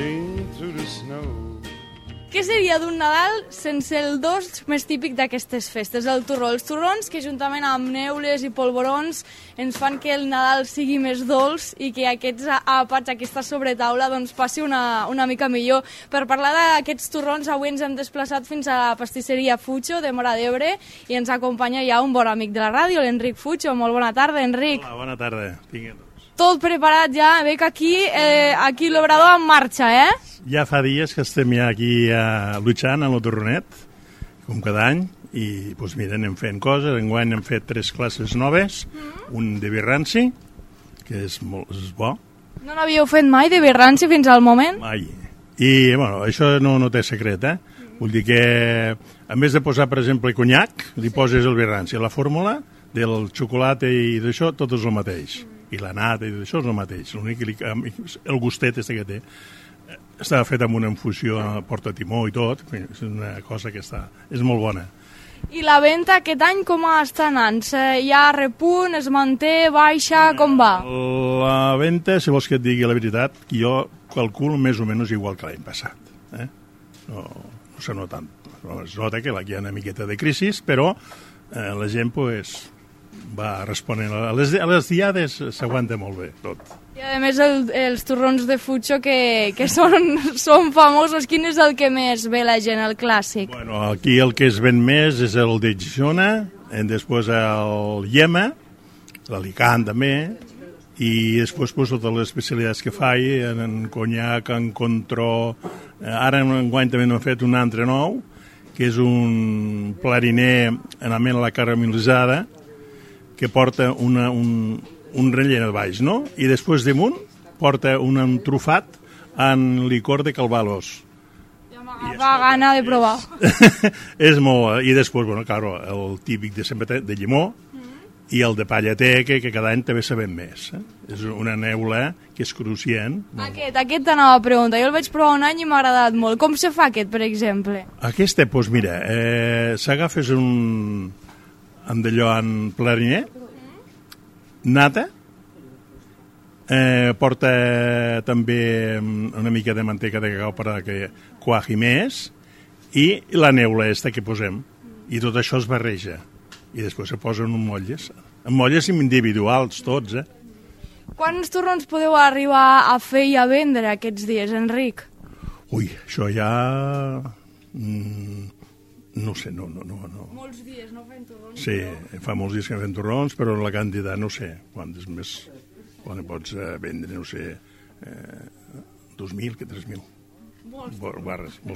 trudging through the snow. Què seria d'un Nadal sense el dolç més típic d'aquestes festes, el torró? Els torrons que juntament amb neules i polvorons ens fan que el Nadal sigui més dolç i que aquests àpats, aquesta sobretaula, doncs passi una mica millor. Per parlar d'aquests torrons, avui ens hem desplaçat fins a la pastisseria Fucho de Móra d'Ebre i ens acompanya ja un bon amic de la ràdio, l'Enric Fucho. Molt bona tarda, Enric. Hola, bona tarda. Tot preparat ja, veig aquí l'obrador en marxa, eh? Ja fa dies que estem ja aquí luchant en el torronet, com cada any, i doncs mira, anem fent coses. Enguany hem fet 3 classes noves, un de birranci, que és bo. No n'havíeu fet mai de birranci fins al moment? Mai. I, bueno, això no té secret, eh? Vull dir que, a més de posar, per exemple, conyac, li poses el birranci. La fórmula del xocolata i d'això, tot és el mateix. I la nata i d'això és el mateix. L'únic que el gustet que té està fet amb una infusió a porta-timó i tot. És una cosa que és molt bona. I la venda aquest any com està anant? Hi ha repunt, es manté, baixa, com va? La venda, si vols que et digui la veritat, jo calculo més o menys igual que l'any passat. No se nota tant. Es nota que aquí hi ha una miqueta de crisi, però la gent va responent. A les diades s'aguanta molt bé tot. I a més els torrons de Fucho que són famosos. Quin és el que més ve la gent, el clàssic? Bueno, aquí el que es ven més és el de Girona, després el Yema, l'Alicant també, i després totes les especialitats que fa en conyac, en contró. Ara enguany també n'hem fet un altre nou, que és un plariner en amena a la caramelitzada, que porta un rellent al baix, no? I després damunt porta un trufat en licor de calvados. Ja m'agafa gana de provar. És molt... I després, bueno, claro, el típic de sempre de llimó i el de pallater, que cada any també sabem més. És una neula que és cruixent. Aquest t'anava a preguntar. Jo el vaig provar un any i m'ha agradat molt. Com se fa aquest, per exemple? Aquest, doncs mira, s'agafes amb d'allò en plariner, nata, porta també una mica de manteca de cacau per que quaji més, i la neula que posem. I tot això es barreja. I després se posen en molles individuals tots, Quants torrons podeu arribar a fer i a vendre aquests dies, Enric? Ui, això ja... No sé, no. Molts dies, no fem torrons? Sí, fa molts dies que fem torrons, però la quantitat no sé. Quantes més pots vendre, no sé, 2.000 que 3.000.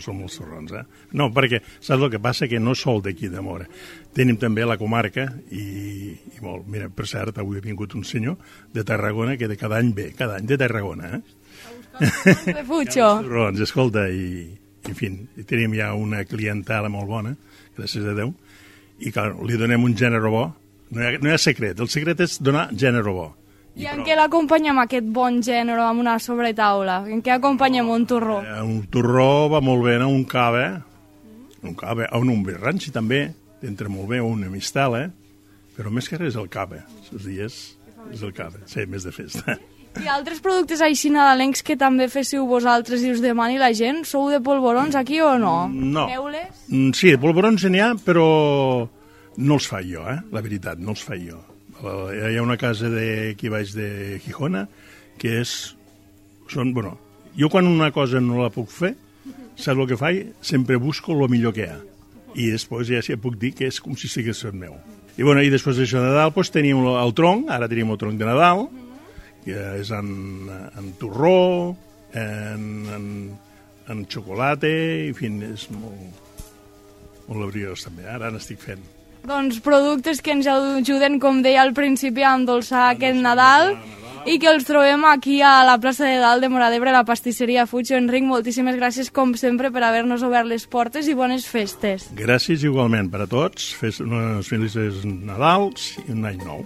Són molts torrons, No, perquè saps el que passa? Que no sol d'aquí de Móra. Tenim també la comarca i molt. Mira, per cert, avui ha vingut un senyor de Tarragona que cada any ve, cada any de Tarragona, A buscar de Fucho. Torrons, escolta, en fi, tenim ja una clientela molt bona, gràcies a Déu, i clar, li donem un gènere bo. No hi ha secret, el secret és donar gènere bo. I en què l'acompanyem, aquest bon gènere, amb una sobretaula? En què acompanyem un torró? Un torró va molt bé, un cava, un birranci també, entra molt bé, una mistela, però més que res el cava, els dies és el cava, sí, més de festa. I altres productes així nadalencs que també féssiu vosaltres i us demani la gent? Sou de polvorons aquí o no? No. Neules? Sí, de polvorons n'hi ha, però no els faig jo, la veritat, no els faig jo. Hi ha una casa aquí baix de Gijona que jo quan una cosa no la puc fer, saps el que faig? Sempre busco el millor que hi ha. I després ja puc dir que és com si sigués el meu. I després d'això de Nadal tenim el tronc, ara tenim el tronc de Nadal, que és en torró, en xocolata, en fi, és molt laboriós també. Ara n'estic fent. Doncs productes que ens ajuden, com deia al principi, a endolçar aquest Nadal i que els trobem aquí a la plaça de Dalt de Móra d'Ebre, a la pastisseria Fucho. Enric, moltíssimes gràcies, com sempre, per haver-nos obert les portes i bones festes. Gràcies igualment per a tots. Unes felices Nadals i un any nou.